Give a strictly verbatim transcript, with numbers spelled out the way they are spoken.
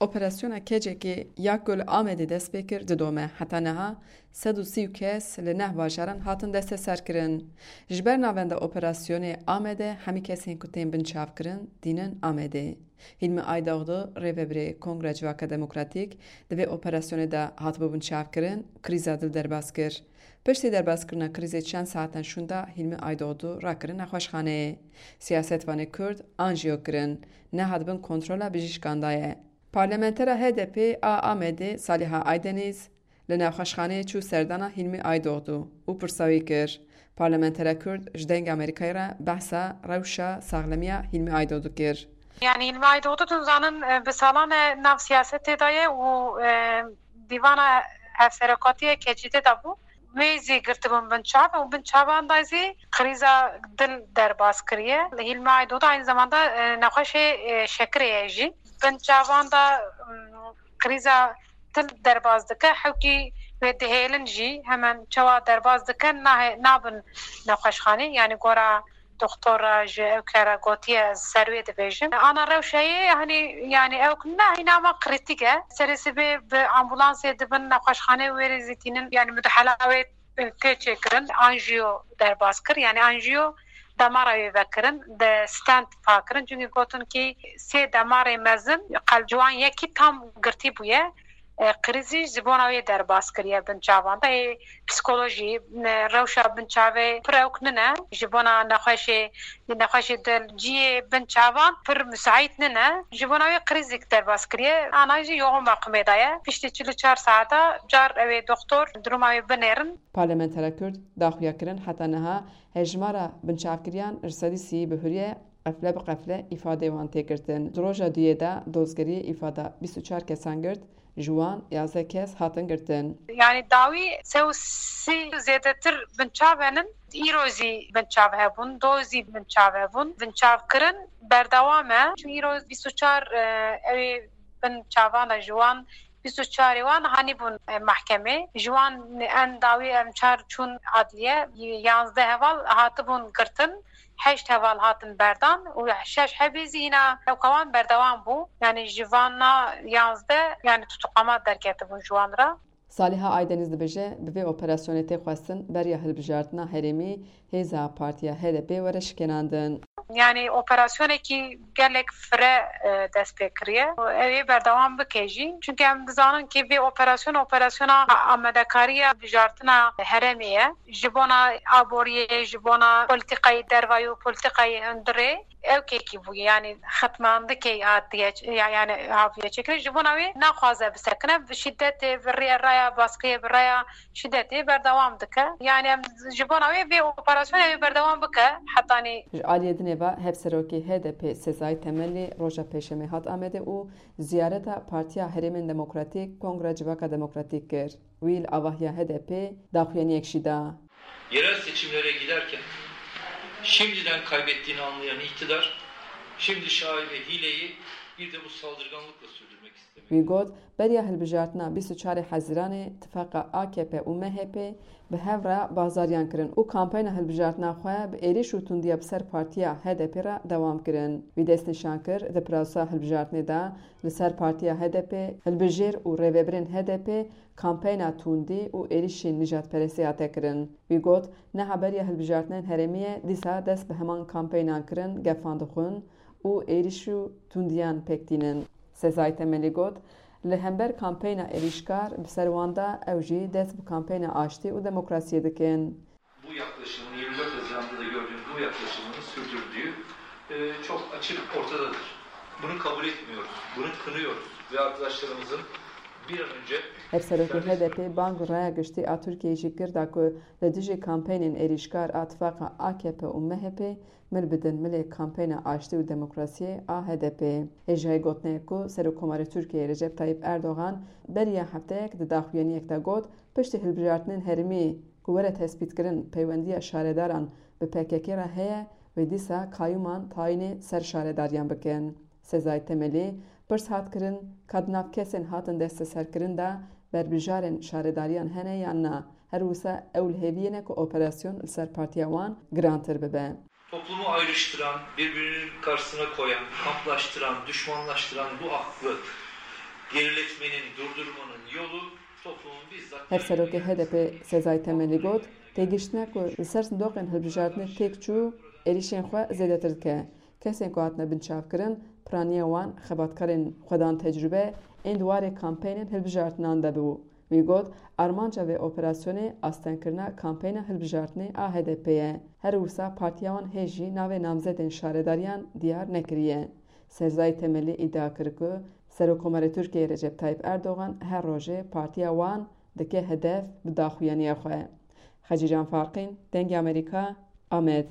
Operasyona Keçekê ya ku li Amedê dest pê kir didome. Heta niha sed û sî kes li neh bajaran hatin desteserkirin. Ji ber navenda operasyonê Amedê hemî kesên ku tên binçavkirin tînin Amedê. Hîlmi Aydoğdu, rêvebirê Kongra Civaka Demokratîk, di vê operasyonê de hatibû binçavkirin, krîza dil derbas kir. Piştî derbaskirina krîzê çend saetan şûnda Hîlmi Aydoğdu rakirin nexweşxaneyê. Siyasetvanê Kurd anjiyo kirin, nehat bin kontrola bijîşkan de ye. Parlamentera H D P a Amedê Saliha Aydeniz li nexweşxaneyê çû serdana Hîlmi Aydoğdu û pirsa wî kir. Parlamentera Kurd ji Dengê Amerîkayê re behsa rewşa saxlemiya Hîlmi Aydoğdu kir. Yani Hîlmi Aydoğdu, tu zanin, e, bi salan e nav siyasetê de ye û, e, dîvana hevserokatiyê Keçî tê de bû. Wê zî girtibûn binçav û binçavan da zî krîza dil derbas kiriye. Hîlmi Aydoğdu aynı zamanda, e, nexweşê, e, şekirê ye jî. Binçavan da, m, krîza dil derbas dike, hewkî wê dihêlin jî hemen çawa derbas dikin, nahe-, nabin nexweşxanê. Yani gora doktor re ji ew kere gotiye, ez ser wê dibêjim. Ana rewşeyê, hani, yani ew ne hîna me krîtîk e. Serê sibê bi ambulansê dibin nexweşxanê, wê rê zî tînin, yani mudahala wê tê çêkirin. Anjiyo derbas kir, yani anjiyo damara wê vekirin, de stent pakirin. Çünkü gotin ki sê damarê mezin, qelb ciwan yekî tam girtî bûye. E, krîzî ji bona wê derbas kiriye binçavan. Ê psikolojî, e, rewşa binçavê pir ewk nine. Ji bona nexweşê, nexweşê dil, cihê binçavan pir müsait nine. Ji bona wê krîzîk derbas kiriye. Ana jî yoğun bakımê de ye. Piştî çil û çar saeta car ew ê doktor duruma wê binêrin. Parlamentera Kurd daxuya kirin heta niha hejmara binçavkiriyan ji sedî sî bihuriye. Qefle bi qefle îfadeyê wan tê girtin. Di roja duyê de dozgeriyê îfada bîst û çar kesan girt, ji wan yazdeh kes hatin girtin. Yani dawî sê û sî zêdetir binçav henin, îro zî binçav hebûn, do zî binçav hebûn. Binçavkirin berdewam e. Çi îro bîst û çar, e, ew ê binçavan e, ji wan bîst û çarê wan hanîbûn, e, mehkemê. Ji wan en dawî em çar çûn adliye, yanzdeh heval hatibûn girtin, heşt heval hatin berdan û şeş hebî zî hîna ewka wan berdewam bû. Yani ji van na yanzdeh, yani tutuklama derketibûn ji wan re. Saliha Aydeniz dibêje, bi vê operasyonê tê xwestin beriya hilbijartina herêmî hêza Partiya H D P were şikênandin. Yani operasyonekî gelek fire, e, dest pê kiriye. Ew ê berdewam bike jî. Çünkü em dizanin ki vê operasyon, operasyona amadekariya bijartina herêmê ye. Ji bona aboriyê, ji bona politikayê dervayî û politikayê hundirê ewkekî bûye. Yani xetmandikê hatiye, ya-, yani haviye çêkirin. Ji bona wê naxwaze bisekine, bi şîdetê, bi rê-, raya baskiyê, bi raya şîdetê berdewam dike. Yani em ji bona wê vê operasyonê wê berdewam bike hetanî. Ji aliyê dinê ve Hevserokê H D P Sezai Temelî roja Pêşemê hat Amedê û ziyareta Partiya Herêmên Demokratîk Kongra Civaka Demokratîk kir. Wî li avahiya H D P daxuyaniyek jî da. Yerel seçimlere giderken şimdiden kaybettiğini anlayan iktidar şimdi şaibe hileyi bir de bu saldırganlıkla sürdürmek istemiyor. Wî got, beriya hilbijartina bîst û çarê Hezîranê tifaqa A K P û M H P bi hev re bazariyan kirin û kampeyna hilbijartina xwe bi êrîş û tundiya bi ser partiya H D P re dewam kirin. Wî destnîşan kir, di pirasa hilbijartinê de li ser partiya H D P, hilbijêr û rêvebirên H D P kampeyna tundî û êrîşên nijadperestî hate kirin. Wî got, niha beriya hilbijartinên herêmî ye, dîsa dest bi heman kampeynan kirin, gefan dixwin û êrîş û tundiyan pêk tînin. Sezai Temelî got, li hember kampeyna êrîşkar bi ser wan de, ew jî dest bi kampeyna aştî û demokrasiyê dikin. Bu yaklaşımın, yirmi dört Haziran'da da gördüğümüz bu yaklaşımını sürdürdüğü, e, çok açık ortadadır. Bunu kabul etmiyoruz, bunu kınıyoruz ve arkadaşlarımızın bir an önce Hevserokê H D P bang û raya giştî a Tirkiyeyê jî kir da ku li dijî kampeynên êrîşkar a tifaqa A K P û M H P mil bidin milê kampeyna aştî û demokrasiyê a H D P. Hêjayî gotinê ku Serokkomarê Tirkiyeyê Recep Tayyip Erdogan beriya hefteyek di daxuyaniyek de got, piştî hilbijartinên herêmî ku were tespîtkirin peywendiya şaredaran bi P K K re heye, wê dîsa kayûman tayînê ser şaredariyan bikin. Sezai Temelî pirs hat kirin, ka di nav kesên hatin desteserkirin de berbijarên şaredariyan hene yan na. Her wisa ew li hêviyê ne ku operasyon li ser partiya wan girantir bibe. Toplumu ayrıştıran, birbirinin karşısına koyan, kamplaştıran, düşmanlaştıran bu aklı Hevserokê H D P Sezai Temelî got, têgihiştina ku li ser sindoqên hilbijartinê têk çû, êrîşên xwe zêdetir dike. Kesên ku hatine binçavkirin, piraniya wan xebatkarên xwedan tecrûbe ên di warê kampeynên hilbijartinan de bû. Wî got, armanca vê operasyonê astengkirina kampeyna hilbijartinê a H D P ye. Her wisa partiya wan hê jî navê namzedên şaredariyan diyar nekiriye. Sezai Temelî îdia kir ku Serokkomarê Tirkiyeyê Recep Tayyip Erdogan her rojê partiya wan dike hedef bi daxuyaniya xwe. Xecîcan Farqîn, Dengê Amerîka, Amed.